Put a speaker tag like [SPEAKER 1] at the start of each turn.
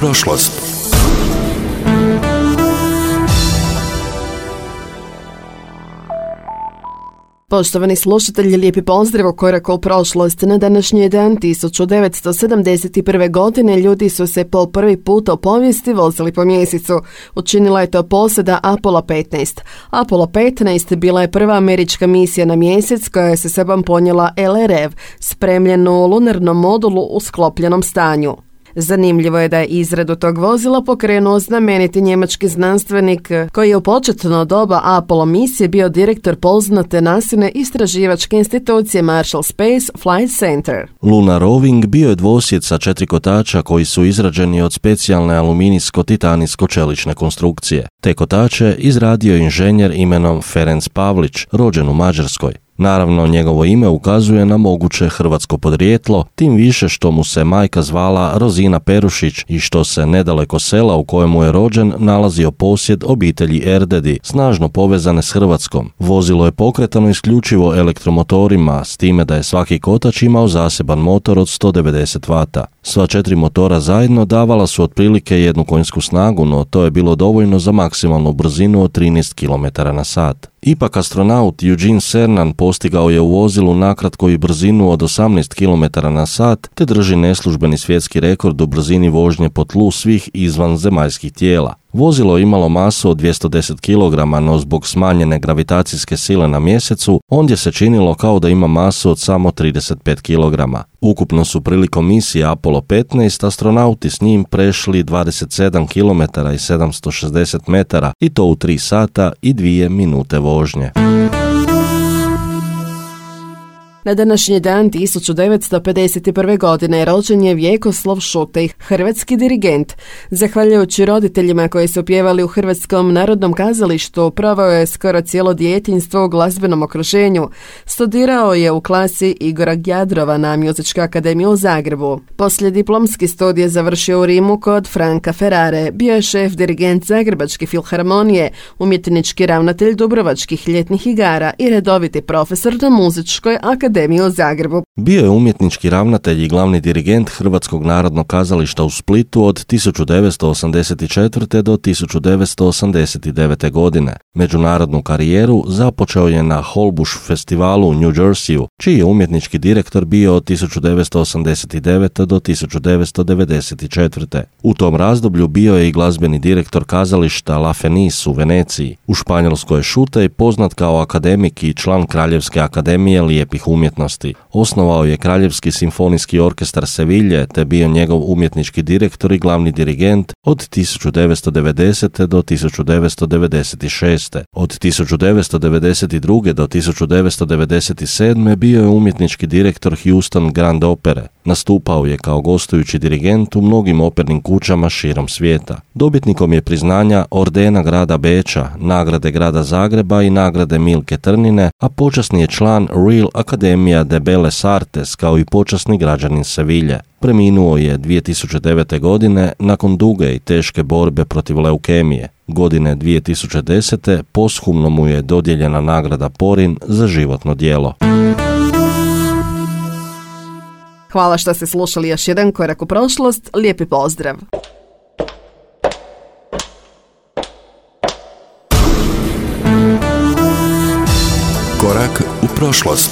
[SPEAKER 1] prošlost.
[SPEAKER 2] Poštovani slušatelji, lijepi pozdrav u koraku u prošlost. Na današnji dan 1971. godine ljudi su se po prvi put u povijesti vozili po mjesecu. Učinila je to posada Apollo 15. Apollo 15 bila je prva američka misija na mjesec koja je sa sobom ponijela LRV, spremljenu u lunarnom modulu u sklopljenom stanju. Zanimljivo je da je izradu tog vozila pokrenuo znameniti njemački znanstvenik koji je u početno doba Apollo misije bio direktor poznate nasilne istraživačke institucije Marshall Space Flight Center.
[SPEAKER 3] Lunar Roving bio je dvosjed sa 4 kotača koji su izrađeni od specijalne aluminijsko-titanijsko-čelične konstrukcije. Te kotače izradio inženjer imenom Ferenc Pavlić, rođen u Mađarskoj. Naravno, njegovo ime ukazuje na moguće hrvatsko podrijetlo, tim više što mu se majka zvala Rozina Perušić i što se nedaleko sela u kojemu je rođen nalazio posjed obitelji Erdedi, snažno povezane s Hrvatskom. Vozilo je pokretano isključivo elektromotorima, s time da je svaki kotač imao zaseban motor od 190 vata. Sva 4 motora zajedno davala su otprilike 1 konjsku snagu, no to je bilo dovoljno za maksimalnu brzinu od 13 km/h. Ipak astronaut Eugene Cernan postigao je u vozilu nakratko i brzinu od 18 km/h te drži neslužbeni svjetski rekord u brzini vožnje po tlu svih izvanzemaljskih tijela. Vozilo je imalo masu od 210 kg, no zbog smanjene gravitacijske sile na mjesecu, ondje se činilo kao da ima masu od samo 35 kg. Ukupno su prilikom misije Apollo 15 astronauti s njim prešli 27 km i 760 metara i to u 3 sata i 2 minute vožnje.
[SPEAKER 2] Na današnji dan 1951. godine rođen je Vjekoslav Šutej, hrvatski dirigent. Zahvaljujući roditeljima koji su pjevali u Hrvatskom narodnom kazalištu, proveo je skoro cijelo djetinjstvo u glazbenom okruženju. Studirao je u klasi Igora Gjadrova na Muzičkoj akademiji u Zagrebu. Poslije diplomski studij završio u Rimu kod Franka Ferrare. Bio je šef dirigent Zagrebačke filharmonije, umjetnički ravnatelj Dubrovačkih ljetnih igara i redoviti profesor na Muzičkoj akademiji u Zagrebu.
[SPEAKER 3] Bio je umjetnički ravnatelj i glavni dirigent Hrvatskog narodnog kazališta u Splitu od 1984. do 1989. godine. Međunarodnu karijeru započeo je na Holbush festivalu u New Jerseyu, čiji je umjetnički direktor bio od 1989. do 1994. U tom razdoblju bio je i glazbeni direktor kazališta La Fenice u Veneciji. U Španjolskoj je Šutej poznat kao akademik i član Kraljevske akademije lijepih umjetnosti. Osnovao je Kraljevski simfonijski orkestar Sevilje te bio njegov umjetnički direktor i glavni dirigent od 1990. do 1996. Od 1992. do 1997. bio je umjetnički direktor Houston Grand Opere. Nastupao je kao gostujući dirigent u mnogim opernim kućama širom svijeta. Dobitnikom je priznanja Ordena grada Beča, nagrade grada Zagreba i nagrade Milke Trnine, a počasni je član Real Academia de Belles Artes kao i počasni građanin Sevilje. Preminuo je 2009. godine nakon duge i teške borbe protiv leukemije. Godine 2010. posthumno mu je dodijeljena nagrada Porin za životno djelo.
[SPEAKER 2] Hvala što ste slušali još jedan korak u prošlost. Lijepi pozdrav!
[SPEAKER 1] Korak u prošlost.